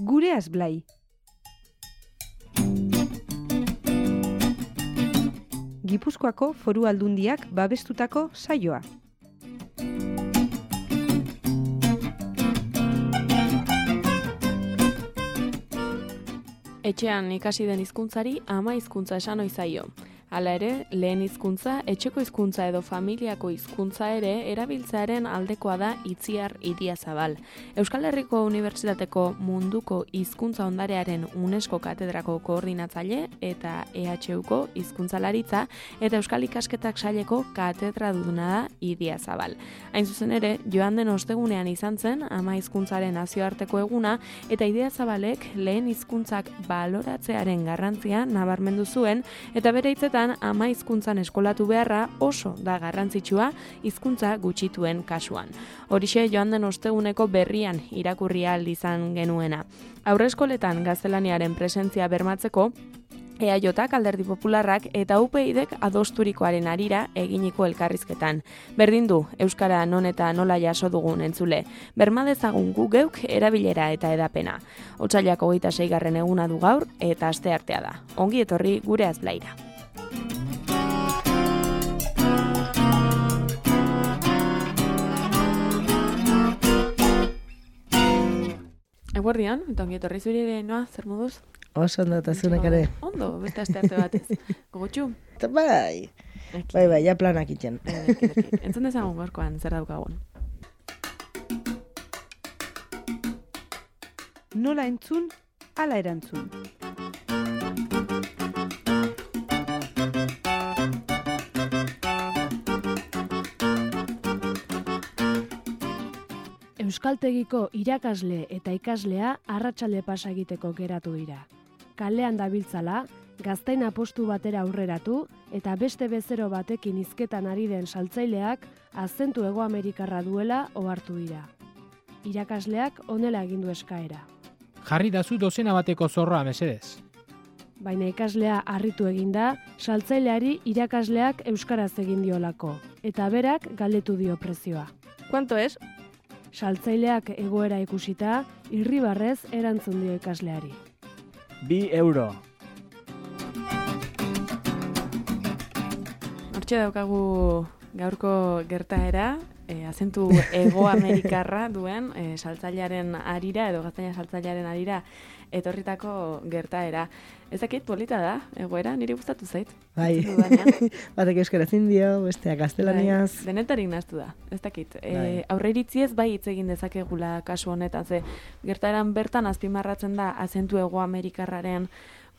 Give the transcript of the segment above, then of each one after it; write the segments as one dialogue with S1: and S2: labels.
S1: Gureaz Blai. Gipuzkoako Foru Aldundiak babestutako saioa.
S2: Etxean ikasi den hizkuntzari ama hizkuntza esan ohi zaio. Hala ere, lehen hizkuntza, etxeko hizkuntza edo familiako hizkuntza ere erabiltzearen aldekoa da Itziar Idiazabal. Euskal Herriko Unibertsitateko Munduko Hizkuntza Ondarearen UNESCO katedrako koordinatzaile eta EHUko hizkuntzalaritza eta Euskal Ikasketak saileko katedraduna da Idiazabal. Hain zuzen ere, joan den ostegunean izan zen ama hizkuntzaren nazioarteko eguna eta Idiazabalek lehen hizkuntzak baloratzearen garrantzia nabarmendu zuen eta bere hitzetan ama hizkuntzan eskolatu beharra oso da garrantzitsua hizkuntza gutxituen kasuan. Horixe joan den osteguneko berrian irakurri ahal izan genuena. Haurreskoletan gaztelaniaren presentzia bermatzeko EAJak, Alderdi Popularrak eta UPyDek adosturikoaren harira eginiko elkarrizketan. Berdin du, euskara non eta nola jaso dugun entzule. Berma dezagun gu geuk erabilera eta edapena. Otsailak 26. eguna du gaur eta asteartea da. Ongi etorri Gureaz Blaira. Eguerdian, eta ongi etorri zuri noa, zer moduz?
S3: Oso ondo eta zunek ere.
S2: Ondo, beste astearte batez. Gogotxu?
S3: Bai, bai, ja planak itxen.
S2: Entzun dezagun gorkoan, zer daukagun.
S1: Nola entzun, ala erantzun.
S4: Euskaltegiko irakasle eta ikaslea arratsalde pasa egiteko geratu dira. Kalean dabiltzala, gaztain apostu batera aurreratu eta beste bezero batekin hizketan ari den saltzaileak azentu Hegoamerikarra duela ohartu dira. Irakasleak honela egin du eskaera.
S5: Jarri dazu dozena bateko zorroa mesedez.
S4: Baina ikaslea harritu eginda, saltzaileari irakasleak euskaraz egin diolako eta berak galdetu dio prezioa.
S2: Kuanto es?
S4: Saltzaileak egoera ikusita, irribarrez erantzun dio ikasleari.
S6: 2 euro.
S2: Hortxe daukagu gaurko gertaera, azentu Hegoamerikarra duen saltzailearen harira edo gaztaina saltzailearen harira etorritako gertaera. Ez dakit polita da, egoera, niri gustatu zait.
S3: Bai, batek euskaraz dio, besteak gaztelaniaz.
S2: Denetarik nahaztu da, ez dakit. Aurreiritziez bai hitz egin dezakegula kasu honetan, ze gertaeran bertan azpimarratzen da azentu Hegoamerikarraren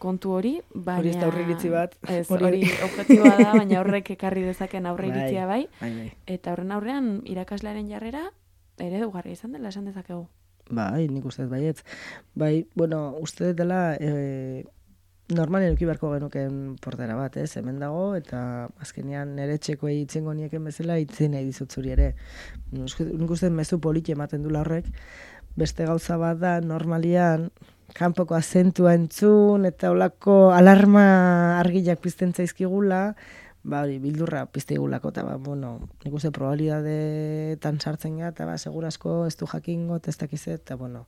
S2: kontu hori, baina...
S3: Hori ez da aurreiritzi bat.
S2: Ez, hori objektiboa da, baina horrek ekarri dezaken aurreiritzia bai. Eta horren aurrean irakaslearen jarrera eredugarria izan dela esan dezakegu.
S3: Bai, nik uste baietz. Bai, bueno, uste dela normalen eduki beharko genuken portera bat, ez? Hemen dago, eta azkenean nire txekoei itzengo nieken bezala itzen nahi dizut zuri ere. Nik uste mezu politi ematen dula horrek. Beste gauza bat da, normalian, kanpoko azentua entzun, eta olako alarma argiak pizten zaizkigula, ba hori, bildurra pizteigulako, eta bueno, nik uste probabilidadeetan sartzen gara, eta segurasko ez du jakingo, eta ez dakizet, eta bueno,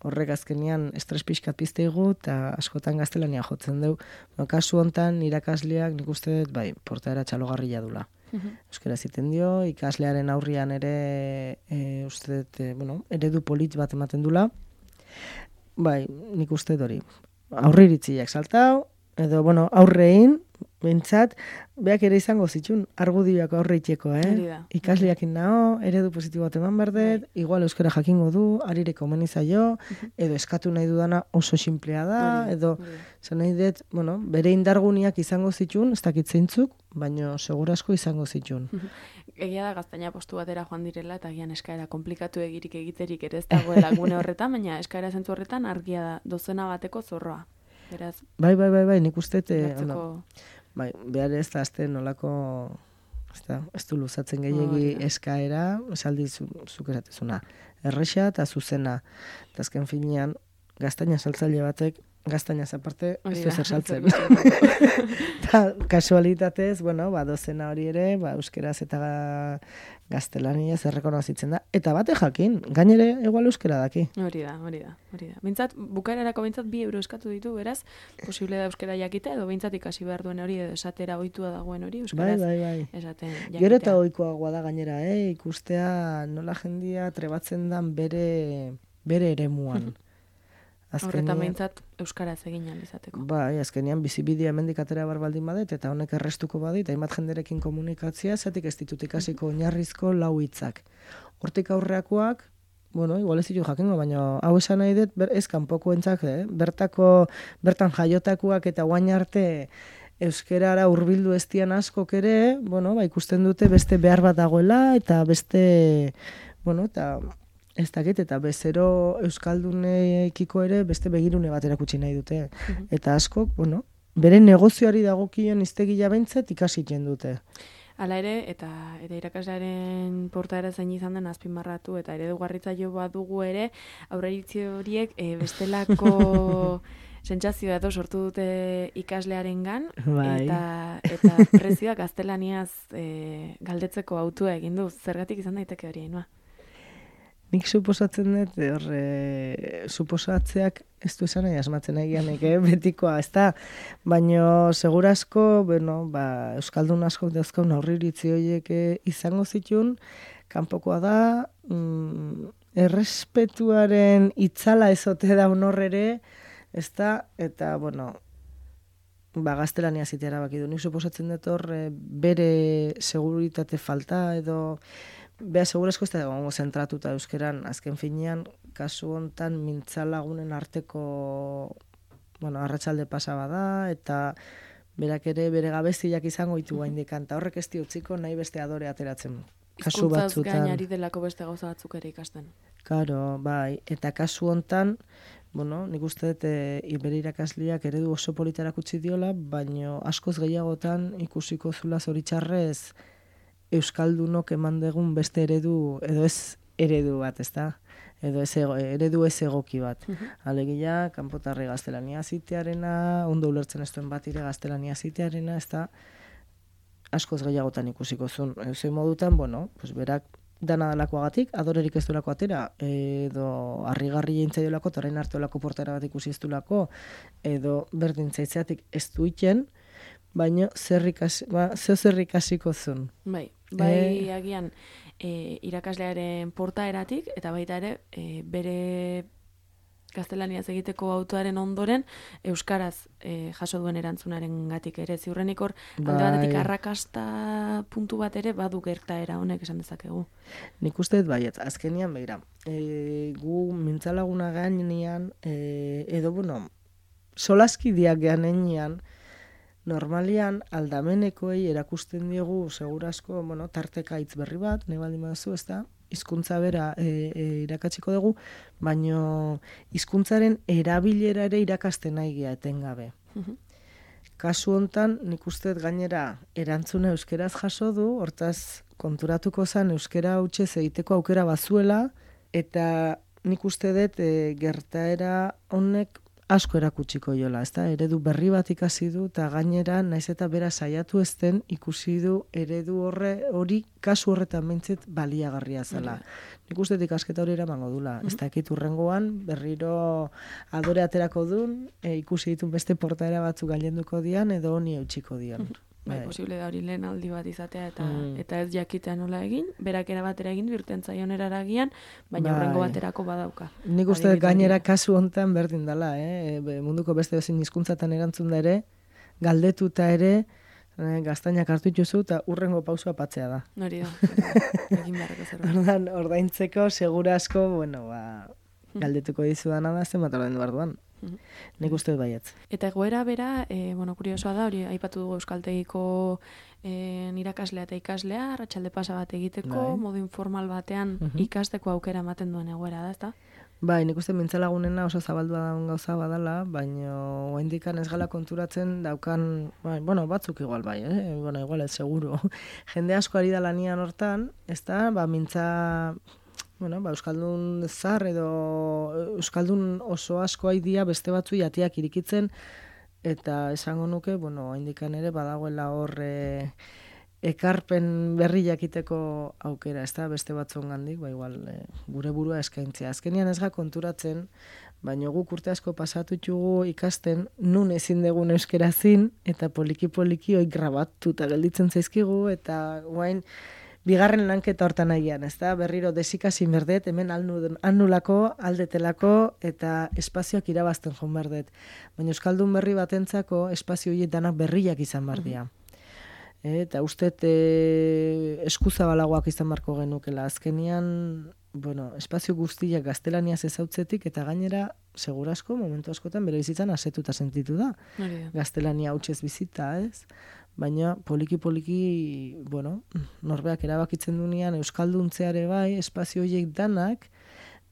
S3: horrek azkenean estres pixkat pizteigu, eta askotan gaztelania jotzen dugu. Kasu hontan, irakasleak nik uste, bai, portaera txalogarria dula. Euskara ziten dio, ikaslearen aurrian ere, uste, bueno, eredu polit bat ematen dula. Bai, nik uste hori. Aurreiritziak saltau, edo, bueno, aurrein, bentsat, beak ere izango zitxun, argudioak aurreitzeko, Ikasleakin nao, eredu positibo bat eman berdet, igual euskara jakingo du, arire komeni zaio, edo eskatu nahi dudana oso sinplea da, edo, zan nahi dut, bueno, bere indarguniak izango zitxun, ez dakit zeintzuk, baina segurasko izango zitxun.
S2: Egia da gaztaina postu batera joan direla, eta gian eskaera komplikatu egirik egiterik ere ez dagoela gune horretan, baina eskaera zentzu horretan argia da, dozena bateko zorroa. Beraz,
S3: bai, nik uste, bai, behar ez da azte nolako, ez du luzatzen gehiagi eskaera, esaldi zuk eratezuna, erresa eta zuzena, eta azken finean, gaztaina saltzaile batek, gaztainaz aparte, ez
S2: Hori
S3: du
S2: da,
S3: zer saltzen.
S2: zer
S3: Eta kasualitatez, dozena hori ere, euskeraz eta gaztelaniaz errekonozitzen da. Eta bate jakin, gainere igual euskera daki.
S2: Hori da. Bintzat, bukaerarako bintzat 2 euro eskatu ditu, beraz, posible da euskera jakite, edo bintzat ikasi behar duen hori, edo esatera ohitua dagoen hori, euskeraz
S3: Bai.
S2: esaten jakitea.
S3: Gero eta ohikoagoa da gainera, ikustea nola jendia trebatzen dan bere eremuan.
S2: Horretan behintzat euskaraz egin izateko.
S3: Bai, azkenean bizibidea hemendik atera bar baldin badet, eta honek errestuko badit, hainbat jenderekin komunikatzea, zatik ez ditut ikasiko oinarrizko 4 hitzak. Hortik aurreakoak, igual ez ditu jakingo, baina hau esan nahi dut, ez kanpokoentzak, bertan jaiotakoak eta guain arte euskerara hurbildu ez dian askok ere, ikusten dute beste behar bat dagoela, eta beste, eta ez dakit, eta bezero euskaldunekiko ere beste begirune bat erakutsi nahi dute. Eta askok, bere negozioari dagokion hiztegia behintzat ikasitzen dute.
S2: Hala ere, eta irakaslearen portaera zein izan den azpimarratu, eta eredugarritzaile badugu ere, aurreiritzi horiek bestelako sentsazioa edo sortu dute ikaslearengan, eta prezioak gaztelaniaz galdetzeko autua egin du. Zergatik izan daiteke hori, Ainhoa?
S3: Nik suposatzen dut, suposatzeak ez du esan nahi asmatzen egianek, betikoa, ez da? Baina, segurasko, euskaldun askok dauzkaun aurriritzi horiek izango zituen, kanpokoa da, errespetuaren itzala ezote da honorrere, ez da? Eta, gaztelania zitea erabaki du. Nik suposatzen dut bere seguritate falta edo beha, segurazko ez da egongo zentratuta euskeran, azken finean, kasu hontan mintzalagunen arteko, arratsalde pasa bada, eta berak ere bere gabeziak izango ditu gaindikan, eta horrek ez utziko nahi beste adore ateratzen. Kasu
S2: Hizkuntzaz
S3: batzutan.
S2: gainari delako beste gauza batzuk ere ikasten.
S3: Karo, bai, eta kasu hontan, nik uste dut bere irakasleak eredu oso polita erakutsi diola, baina askoz gehiagotan ikusiko zula zoritxarrez euskaldunok eman degun beste eredu, edo ez eredu bat, ez da? Edo eredu ez egoki bat. Alegia, kanpotarri gaztelania zitearena, ondo ulertzen ez duen bat ire gaztelania zitearena, ez da? Askoz gehiagotan ikusiko zuen. Zein modutan, berak dana dalakoagatik, adorerik ez duelako atera, edo harrigarri jentzaiolako, eta orain hartuelako portara bat ikusi ez duelako, edo berdin zaitzeatik ez duiten, baina zer ikasiko zuen.
S2: Bai, agian irakaslearen portaeratik, eta baita ere, bere gaztelaniaz egiteko autoaren ondoren, euskaraz jaso duen erantzunaren gatik ere. Ziurrenik hor, alde batetik arrakasta puntu bat ere, badu gertaera honek esan dezakegu.
S3: Nik uste dut baiet, azkenian behira. Gu mintzalaguna gainean, edo, solaskideak ganean, normalian aldamenekoei erakusten diegu segurazko, tarteka hitz berri bat, nahi baldin baduzu, ez da? Hizkuntza bera irakatsiko dugu, baino hizkuntzaren erabilera ere irakasten nahi gea etengabe. Kasu hontan, nik uste gainera erantzuna euskeraz jaso du, hortaz konturatuko zen euskera hutsez egiteko aukera bazuela, eta nik uste dut gertaera honek asko erakutsiko jola, ezta? Eredu berri bat ikasi du, eta gainera, naiz eta bera saiatu ezten, ikusi du eredu hori kasu horretan behintzet baliagarria zela. Nik uste ikasketa hori eramango dula. Ez dakit hurrengoan, berriro adore aterako dun, ikusi ditun beste portaera batzuk gailenduko dian, edo honi eutxiko dian.
S2: Posible da hori lehen aldi bat izatea, eta ez jakitea nola egin, berak erabatera egin dirten zaion eraragian, baina horrengo baterako badauka.
S3: Nik uste gainera kasu hontan berdin dela, munduko beste ezin hizkuntzatan erantzun da ere, galdetuta ere, gaztainak hartu dituzu eta hurrengo pausua patzea da.
S2: Hori da, egin beharreko zerbait.
S3: Ordaintzeko, segura asko, galdetuko dizudana da, zenbat ordaindu behar duan. Nik uste baietz.
S2: Eta egoera bera, kuriosoa da, hori aipatu dugu euskaltegiko irakaslea eta ikaslea, arratsalde pasa bat egiteko, modu informal batean ikasteko aukera ematen duen egoera da, ezta?
S3: Bai, nik uste mintzalagunena oso zabaldua daun gauza badala, baina oraindikan ez gala konturatzen daukan, batzuk igual bai, igual ez seguru. Jende asko ari da lanian hortan, ezta, mintza euskaldun zar edo euskaldun oso asko haidia beste batzu jatiak irikitzen, eta esango nuke, haindikan ere badagoela hor ekarpen berri jakiteko aukera, ez da, beste batzongandik, igual gure burua eskaintzea. Azkenian ez ga konturatzen, baina guk urte asko pasatutxugu ikasten nun ezin degun euskerazin, eta poliki-poliki hoi grabatuta gelditzen zaizkigu, eta guain bigarren lanketa hortan nahian, ez da, berriro desikasi berdet, hemen annulako, aldetelako, eta espazioak irabazten joan berdet. Baina euskaldun berri batentzako espazio horiek danak berriak izan bardia. Eta uste eskuzabalagoak izan barko genukela. Azkenian, espazio guztiak gaztelaniaz ezautzetik, eta gainera, segurasko, momentu askotan, bere bizitzan asetuta sentitu da. Gaztelania hautsez bizita, ez? Baina, poliki-poliki, norbeak erabakitzen dunean, euskalduntzeare bai, espazio horiek danak,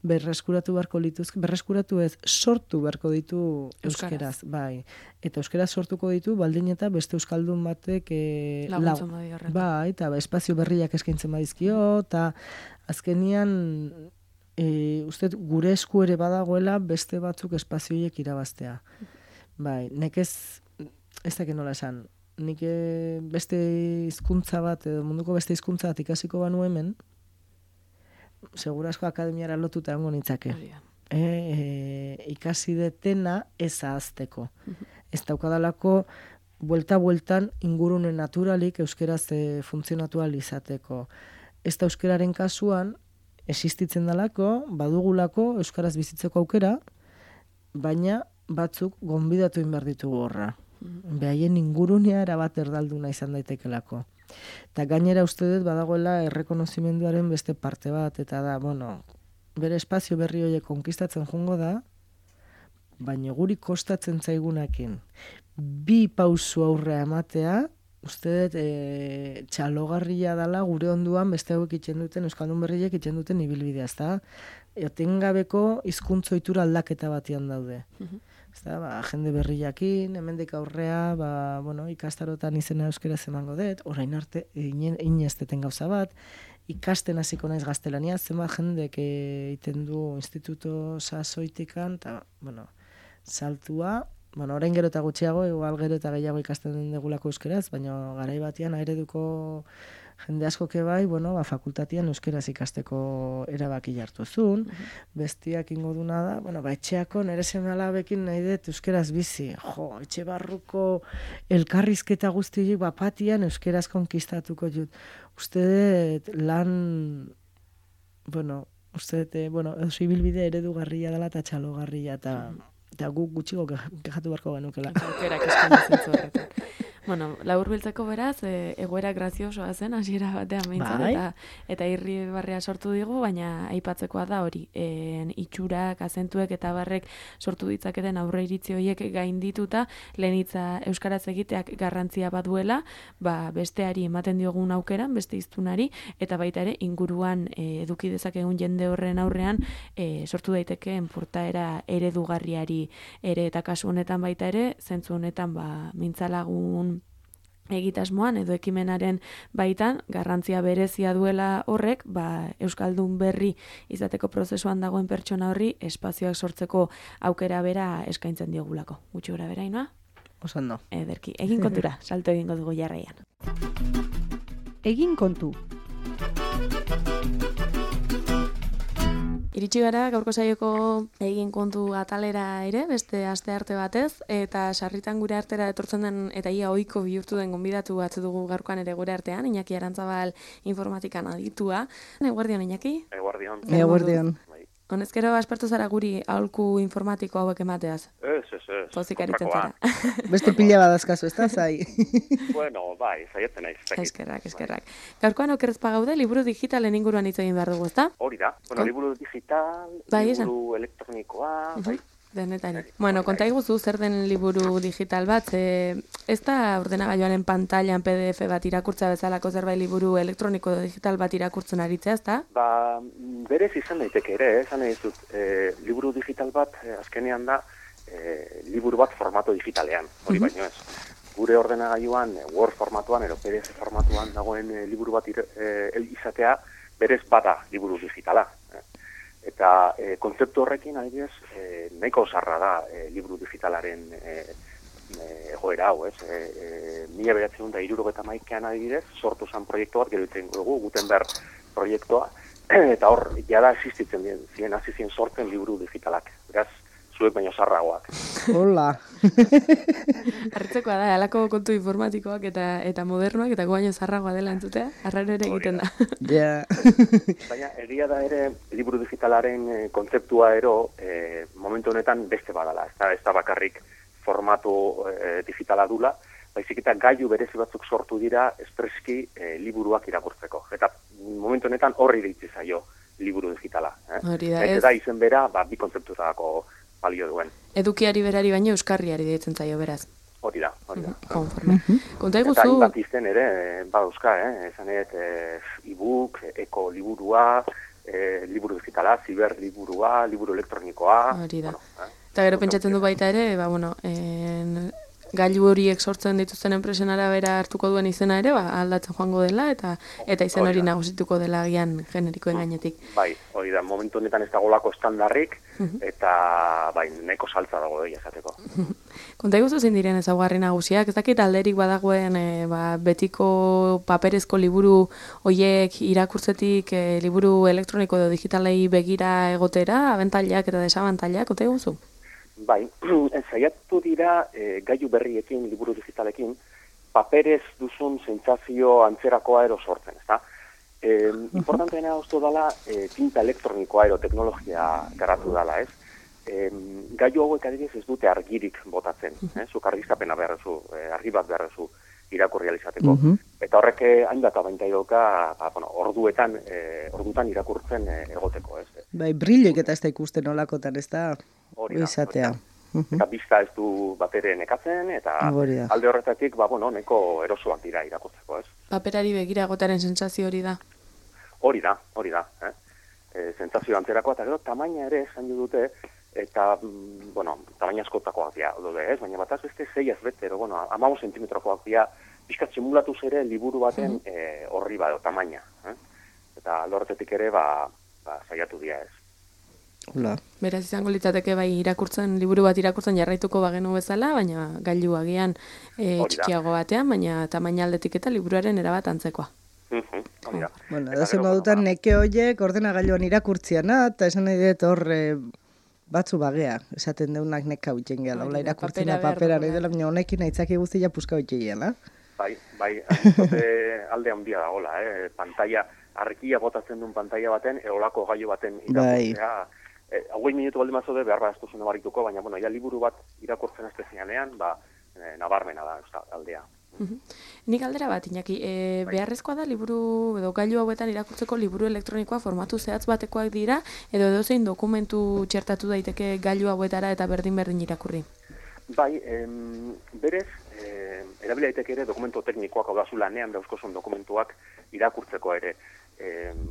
S3: berreskuratu beharko lituzke, berreskuratu ez, sortu beharko ditu euskeraz, bai. Eta euskeraz sortuko ditu, baldin eta beste euskaldun batek
S2: laguntzen badi horretan.
S3: Bai, eta espazio berriak eskaintzen badizkio, eta azkenian uste gure esku ere badagoela beste batzuk espazio horiek irabaztea. Bai, nekez, ez dakit nola esan, nik beste hizkuntza bat, edo munduko beste hizkuntza bat ikasiko banu hemen, segurasko akademiara lotuta egongo nitzake. Ikasi detena ez ahazteko. Ez daukadalako buelta-bueltan ingurune naturalik euskeraz funtzionatu ahal izateko. Ez da euskeraren kasuan existitzen dalako, badugulako euskaraz bizitzeko aukera, baina batzuk gonbidatu behar ditugu horra. Behaien ingurunea erabat erdalduna izan daitekelako. Eta gainera uste dut badagoela errekonozimenduaren beste parte bat, eta da, bere espazio berri horiek konkistatzen jongo da, baina guri kostatzen zaigunakin bi pausu aurrea ematea, uste dut txalogarria dala gure onduan beste hauek itxen duten, euskaldun berriek itxen duten ibilbidea, ez da? Etengabeko hizkuntza ohitura aldaketa batian daude. Jende berriakin, hemendik aurrea, ikastarotan izena euskeraz emango dut, orain arte, inesteten gauza bat, ikasten hasiko naiz gaztelania, zenbat jendek egiten du instituto sasoitikan, eta, saltua, orain gero eta gutxiago, igual gero eta gehiago ikasten dugulako euskeraz, baina garai batean ereduko jende askoke bai, fakultatian euskeraz ikasteko erabaki hartu zuen, bestiak ingo duna da, etxeako nire seme-alabekin nahi dut euskeraz bizi, etxe barruko elkarrizketa guztiak bapatian euskeraz konkistatuko jut. Uste dut lan, uste dut, ibilbide eredugarria dela eta txalogarria, eta guk gutxiko kexatu beharko genukela.
S2: Aukerak eskaintzen zu horretan. Laburbiltzeko beraz, egoera graziosoa zen, hasiera batean behintzat, eta irribarrea sortu digu, baina aipatzekoa da hori, itxurak, azentuek eta barrek sortu ditzaketen aurre iritzi horiek gaindituta, lehenitza euskaraz egiteak garrantzia baduela, besteari ematen diogun aukeran, beste hiztunari, eta baita ere inguruan eduki dezakegun jende horren aurrean sortu daitekeen portaera eredugarriari ere, eta kasu honetan baita ere, zentzu honetan mintzalagun egitasmoan edo ekimenaren baitan garrantzia berezia duela horrek, euskaldun berri izateko prozesuan dagoen pertsona horri espazioak sortzeko aukera bera eskaintzen diogulako. Gutxi gora bera, Ainhoa?
S3: Oso ondo.
S2: Ederki, egin kontura, salto egingo dugu jarraian.
S1: Egin kontu.
S2: Iritsi gara gaurko saioko egin kontu atalera ere, beste astearte batez, eta sarritan gure artera etortzen den eta ia ohiko bihurtu den gonbidatu bat dugu gaurkoan ere gure artean, Iñaki Arantzabal informatikan aditua. Eguerdion, Iñaki?
S3: Eguerdion.
S2: Honezkero aspertu zara guri aholku informatiko hauek emateaz?
S7: Ez.
S2: Pozik aritzen zara.
S3: Beste pila badazkazu, ez da, zai?
S7: Bai, zaiatzen naiz.
S2: Eskerrak. Gaurkoan okerrezpa gaude, liburu digitalen inguruan hitz egin behar dugu, ezta?
S7: Hori da. Liburu digital, liburu elektronikoa, bai.
S2: Denetari. Konta iguzu zer den liburu digital bat, ez da ordenagailuaren pantailan PDF bat irakurtza bezalako zerbait liburu elektroniko digital bat irakurtzen aritzea, ez da?
S7: Berez izan daiteke ere, esan nahi dut, liburu digital bat azkenean da liburu bat formato digitalean, hori baino ez. Gure ordenagailuan Word formatuan edo PDF formatuan dagoen liburu bat izatea berez bada liburu digitala. Eta kontzeptu horrekin, adibidez, nahiko zarra da liburu digitalaren egoera hau, ez? 1971an adibidez, sortu zen proiektu bat, gero iten dugu, Gutenberg proiektua, eta hor, jada existitzen ziren, hasi ziren sortzen liburu digitalak. Beraz, zuek baino zarragoak.
S3: Hola.
S2: Hartzekoa da, halako kontu informatikoak eta modernoak, eta guaino zarragoa dela entzutea, arraro ere egiten da.
S3: Ja.
S7: Baina, egia da ere, liburu digitalaren kontzeptua momentu honetan beste badala. Ez da bakarrik formatu digitala dula, baizik eta gailu berezi batzuk sortu dira espreski liburuak irakurtzeko. Eta momentu honetan horri deitzi zaio liburu digitala.
S2: Hori da,
S7: ez? Eta izen bera, bi kontzeptuetako balio duen.
S2: Edukiari berari baino euskarriari deitzen zaio beraz.
S7: Hori da.
S2: Konforme. Konta iguzu...
S7: Eta hainbat izen ere, euska, esan e-book, eko-liburua, liburu digitala, ziberliburua, liburu elektronikoa...
S2: Hori da. Eta gero pentsatzen du baita ere, gailu horiek sortzen dituzten enpresen arabera hartuko duen izena ere, aldatzen joango dela, eta izen hori nagusituko dela agian generikoen gainetik.
S7: Bai, hori da, momentu honetan ez dagolako estandarrik, eta nahiko saltza dago doi esateko.
S2: Konta iguzu zein diren ezaugarri nagusiak, ez dakit alderik badagoen betiko paperezko liburu hoiek irakurtzetik liburu elektroniko edo digitalei begira egotera, abentailak eta desabantailak, konta iguzu?
S7: Bai, saiatu dira gailu berriekin, liburu digitalekin, paperez duzun sentsazio antzerakoa ero sortzen, ezta? Importanteena uste dela tinta elektronikoa ero teknologia garatu dela, ez? Gailu hauek adibidez ez dute argirik botatzen, zuk argiztapena beharrezu, argi bat beharrezu irakurri alizateko. Eta horrek hainbat abantaidoka, ordutan irakurtzen egoteko, ez?
S3: Bai, brilloik eta ez da ikusten olakotan, ez da?
S7: Hori da.
S3: Eta
S7: bizta ez du batere nekatzen, eta alde horretatik, neko erosoak dira irakurtzeko, ez?
S2: Paperari begira egotaren sentsazio hori da?
S7: Hori da. Sentsazio antzerakoa, eta gero tamaina ere esan dute, eta, tamaina askotakoak dira, ez? Baina bataz beste 6 bete, 15 zentimetrokoak dira, pixkat simulatuz ere liburu baten horri bado, tamaina. Eta alde horretatik ere, saiatu dira, ez?
S3: Hola.
S2: Beraz izango litzateke liburu bat irakurtzen jarraituko bagenu bezala, baina gailu agian txikiago batean, baina tamaina aldetik eta liburuaren erabat antzekoa.
S3: Edo zen modutan neke horiek ordenagailuan irakurtziana, eta esan nahi dut hor batzu bagea, esaten deunak neka huitzen gehala, hola irakurtzena papera nahi dela, baina honekin aitzaki guztia puska huitzen gehala.
S7: Bai, alde handia da, hola, pantalla, argia botatzen duen pantalla baten, eolako gailu baten irakurtzea, 20 minutu baldin mazode behar bat ez duzuna barituko, baina, liburu bat irakurtzen ez dezianean, nabarmena da, aldea.
S2: Nik aldera bat, Iñaki, beharrezkoa da liburu, edo gailu hauetan irakurtzeko liburu elektronikoa formatu zehatz batekoak dira, edo edozein dokumentu txertatu daiteke gailu hauetara eta berdin irakurri?
S7: Bai, berez, erabila daiteke ere dokumentu teknikoak, hau da zu lanean dauzkozun dokumentuak irakurtzeko ere.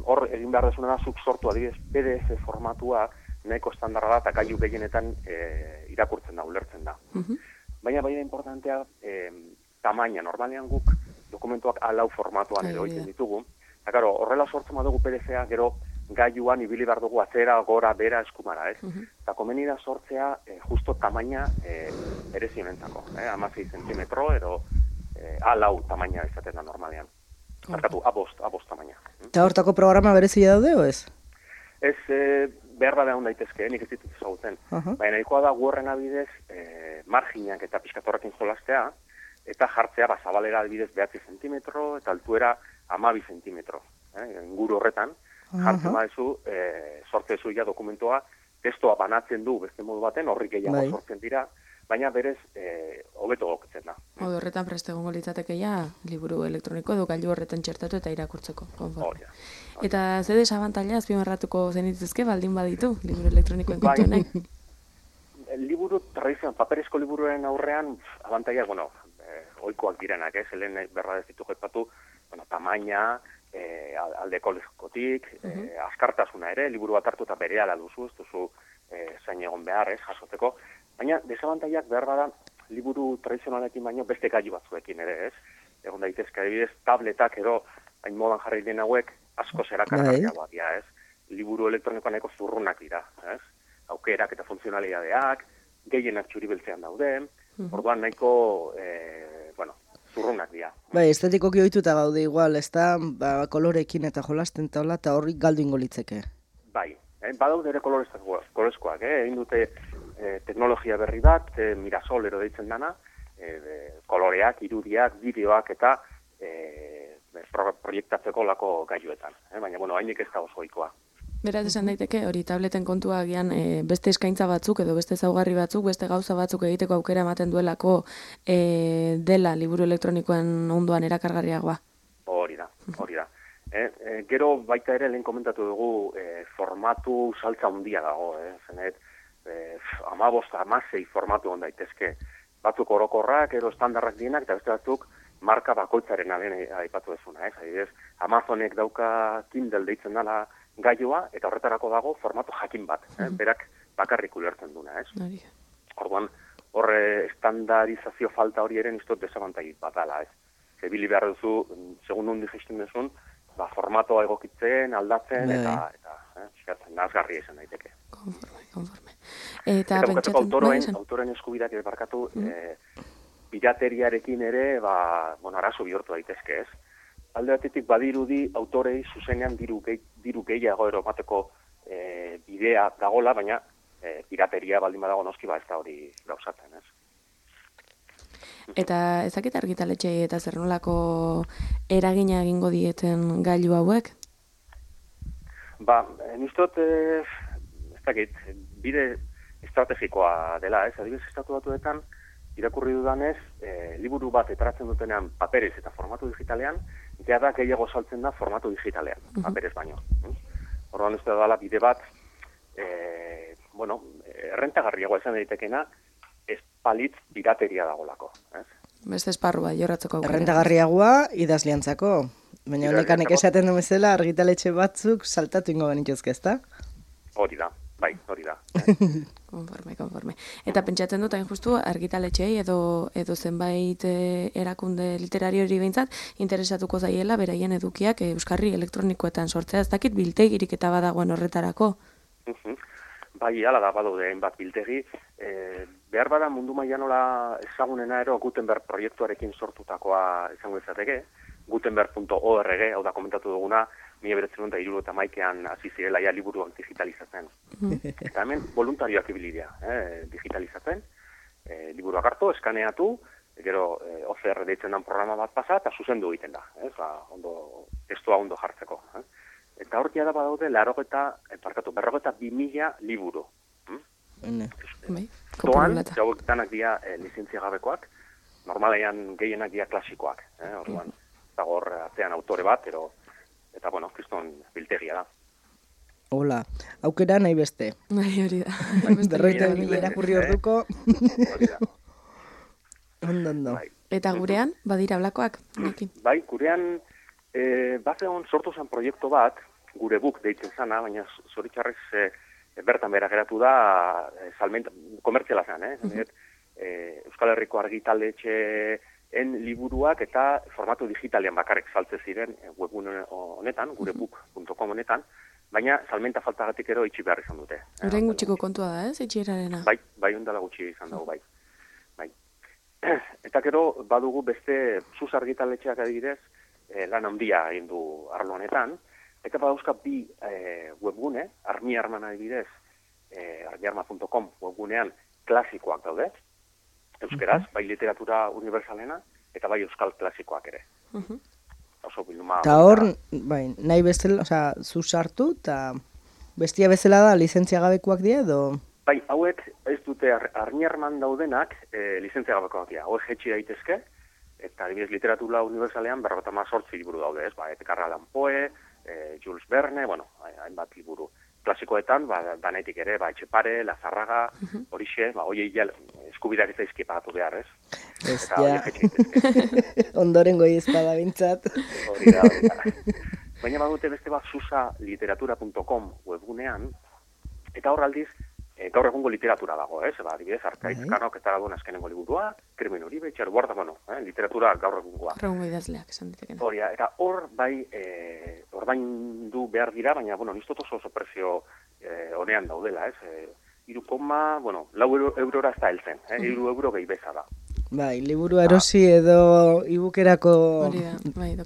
S7: Hor, egin behar desuna da, zuk sortu adibidez PDF formatua, nahiko estandarra da, eta gailu gehienetan irakurtzen da, ulertzen da. Baina importantea, tamaina, normalean guk dokumentuak alau formatuan edo egiten ditugu. Eta, karo, horrela sortzen badugu PDF-a, gero gailuan ibili behar dugu atzera, gora, bera, eskumara, ez? Eta komeni da sortzea justo tamaina erezionentzako, 16 zentimetro, edo alau tamaina izaten da normalean. Markatu, abost tamaina.
S3: Eta hortako programa berezia daude, o ez?
S7: Ez, behar da behar daitezke, nik ez ditut ezagutzen. Baina nahikoa da gu horren abidez marginak eta pizkatorrekin jolastea, eta jartzea zabalera adibidez 9 zentimetro, eta altuera 12 zentimetro. Inguru horretan, jartzen badezu, sortzezu ja dokumentua, testoa banatzen du beste modu baten, horri gehiago sortzen dira, baina berez hobeto gokitzen da.
S2: Horretan preste egongo litzateke liburu elektroniko edo gailu horretan txertatu eta irakurtzeko. Eta ze desabantaila azpimarratuko zenituzke baldin baditu liburu elektronikoen kontu honek?
S7: Liburu tradizioan, paperezko liburuen aurrean, abantaila, oikoak direnak, helen berra ez ditu jetpatu, tamaina, aldeko lezkotik, askartasuna ere, liburu bat hartu eta berehala duzu, ez duzu zain egon behar, jasotzeko. Baina, desabantailak behar bada, liburu tradizionalekin baino beste gailu batzuekin ere, ez? Egon daitezke, adibidez, tabletak edo, hain modan jarri den hauek, asko zerakargarriagoak dira, ez? liburu elektronikoa nahiko zurrunak dira, ez? Aukerak eta funtzionalitateak, gehienak txuri-beltzean daude, orduan nahiko, zurrunak dira.
S3: Bai, estetikoki ohituta gaude igual, ez da, kolorekin eta jolasten taula, eta horrik galdu ingo litzeke.
S7: Bai, badaude ere kolorezkoak, egin dute teknologia berri bat, Mirasol ero deitzen dana, koloreak, irudiak, bideoak eta proiektatzeko lako gailuetan. Baina, hainik ez da osoikoa.
S2: Beraz, esan daiteke, hori tableten kontua agian beste eskaintza batzuk edo beste ezaugarri batzuk, beste gauza batzuk egiteko aukera ematen duelako dela liburu elektronikoen ondoan erakargarriagoa.
S7: Hori da. Gero baita ere lehen komentatu dugu formatu saltza handia dago, zenet 15-16 formatu on daitezke. Batzuk orokorrak, edo estandarrak dienak, eta beste batzuk marka bakoitzaren aipatu dezuna, Adibidez, Amazonek dauka Kindle deitzen dela gailua, eta horretarako dago formatu jakin bat, berak bakarrik ulertzen duna, Orduan, horre estandarizazio falta hori eren iztot desabantai bat dala, Zebili behar duzu, segun nundi gesten duzun, formatoa egokitzen, aldatzen, eta nazgarri esan daiteke.
S2: Konforme.
S7: Eta bukatzeko autoren eskubidak barkatu, pirateriarekin ere, arazo bihurtu daitezke, Alde batetik badirudi autorei zuzenean diru gehiago eromateko bidea dagola, baina pirateria baldin badago noski ez da hori gauzatzen,
S2: Eta ezakit argitaletxei eta zer nolako eragina egingo dieten gailu hauek?
S7: Nistot, ez dakit, bide estrategikoa dela, Adibidez, Estatu Batuetan, irakurri dudanez, liburu bat etaratzen dutenean paperez eta formatu digitalean, da gehiago saltzen da formatu digitalean, paperez baino. Orduan ez da dela bide bat, errentagarriagoa esan daitekena, ez palitz pirateria dagolako.
S2: Beste esparrua, jorratzeko aukera.
S3: Errentagarriagoa idazliantzako. Baina honekanek esaten du bezala argitaletxe batzuk saltatu ingo benituzke, ezta?
S7: Hori da. Bai, hori da.
S2: Konforme. Eta pentsatzen dut, hain justu, argitaletxei edo zenbait erakunde literariori behintzat, interesatuko zaiela beraien edukiak euskarri elektronikoetan sortzea. Ez dakit biltegirik eta badagoen horretarako?
S7: Bai, hala da, badaude hainbat biltegi. Behar bada mundu mailan nola ezagunena ero Gutenberg proiektuarekin sortutakoa izango izateke. Gutenberg.org, hau da komentatu duguna, 1971an hasi zirela liburuak digitalizatzen. Eta hemen voluntarioak ibili dira, digitalizatzen, liburuak hartu, eskaneatu, gero OCR deitzen den programa bat pasa, eta zuzendu egiten da, testua ondo jartzeko. Eta hortia da badaude, 42.000 liburu. Toan, jauek danak dira lizentzia gabekoak, normalean gehienak dira klasikoak, orduan, eta hor atzean autore bat, eta kriston biltegia da.
S3: Hola, aukera nahi beste.
S2: Hori da.
S3: Berroita irakurri orduko. Ondo.
S2: Eta gurean, badira blakoak?
S7: Bai, gurean, bazeon sortu zen proiektu bat, gure buk deitzen zana, baina zoritxarrez bertan bera geratu da, komertziala zen, Euskal Herriko argitaletxeen liburuak eta formatu digitalean bakarrik saltze ziren webgune honetan, gurebuk.com honetan, baina salmenta faltagatik ero itxi behar izan dute.
S2: Horren gutxiko kontua da, itxierarena?
S7: Bai, ondala gutxi izan dago, bai. Eta gero, badugu beste zuz argitaletxeak adibidez, lan handia egin du arlo honetan, eta badauzka bi webgune, armiarman adibidez, armiarma.com webgunean klasikoak daude, euskeraz, bai literatura universalena, eta bai euskal klasikoak ere. Oso bilduma...
S3: Eta hor, nahi bezala, zu sartu, eta bestia bezala da, lizentzia gabekoak dira, edo...
S7: Bai, hauek ez dute armiarman daudenak lizentzia gabekoak dira. Hauek jetxi daitezke, eta adibidez literatura universalean 58 liburu daude, ez? Edgar Allan Poe, Jules Verne, hainbat liburu. Klasikoetan, danetik ere, Etxepare, Lazarraga, horixe, hoiei eskubideak ez daizki pagatu behar, ez?
S3: Eta hori jetxi daitezke. Ondoren goi ezpada bintzat.
S7: Hori da. Baina badute beste bat susaliteratura.com webgunean, eta hor aldiz, gaur egungo literatura dago, adibidez, Arkaitz Kanok eta duen azkenengo liburua, Krimen Uribe, Itxaruarda, literatura gaur egungoa.
S2: Gaur egungo idazleak esan ditekena.
S7: Hori, eta hor bai, ordaindu behar dira, baina, nistot oso prezio honean daudela, 4,4 eurora ez da heltzen, 3 euro gehi beza da.
S3: Bai, liburu erosi edo ibukerako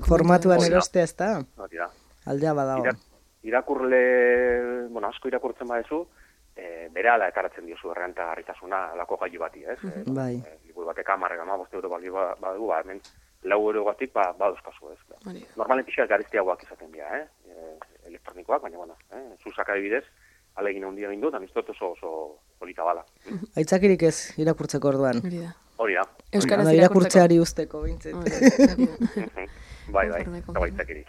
S3: formatuan erostea ez da?
S7: Hori da.
S3: Aldea badago.
S7: Irakurle, asko irakurtzen badezu, berehala ekaratzen diozu errentagarritasuna alako gailu bati, ez?
S3: Bai.
S7: Liburu batek 15 euro balio badu, hemen 4 eurogatik baduzkazu, ez? Normalen pixka garestiagoak izaten dira, elektronikoak, baina, zuzak adibidez, alegin handia egin dut, anistot oso polita bala.
S3: Aitzakirik ez irakurtzeko orduan.
S7: Hori da.
S2: Euskaraz
S3: irakurtzeari usteko, bintzet.
S7: Bai, eta baitzakirik.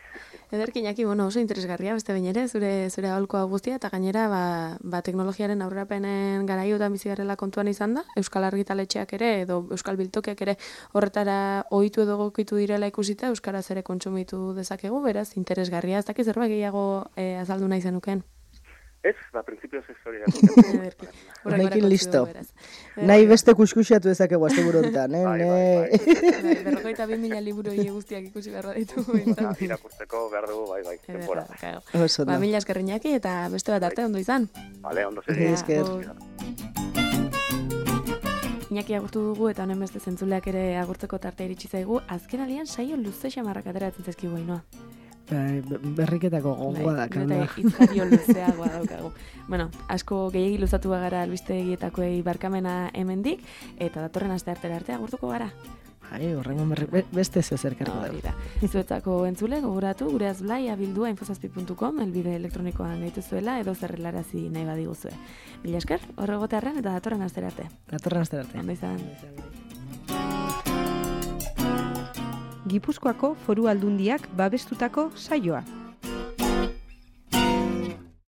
S2: Ederki, Iñaki, oso interesgarria, beste behin ere, zure aholkoa guztia, eta gainera, teknologiaren aurrerapenen garaiotan bizi garela kontuan izan da, Euskal Argitaletxeak ere, edo Euskal Biltokiak ere horretara ohitu edo gokitu direla ikusita, Euskaraz ere kontsumitu dezakegu, beraz, interesgarria, ez dakiz zerbait gehiago azaldu nahi zenuken.
S7: Ez, prinsipioz ez hori da.
S3: Horrekin listo. Nahi beste kuskusiatu ezakegu azte burontan,
S7: Bai.
S2: 42.000 liburu guztiak ikusi behar ditu.
S7: Irakurtzeko behar dugu, bai, tempora.
S2: Mila esker Iñaki, eta beste bat arte ondo izan.
S7: Vale, ondo zen.
S3: Esker.
S2: Iñaki agurtu dugu, eta honen beste zentzuleak ere agurtzeko tarte iritsi zaigu, azken alian saio luze xamarrak ateratzen zaizkigu inoa.
S3: Berriketako gogoa da,
S2: eta izkario luzeagoa daukagu. Asko gehiagi luzatu gara albistegietakoei barkamena hemendik, eta datorren aste artera arte agurtuko gara.
S3: Horrengo beste zezerkarko da.
S2: Zuetzako entzule, gogoratu, gure azblai abildua infosazpi.com, elbide elektronikoan gaituzuela, edo zerrelarazi nahi badiguzue. Mila esker, horregotearren eta datorren astera arte. Ondo izan.
S1: Gipuzkoako Foru Aldundiak babestutako saioa.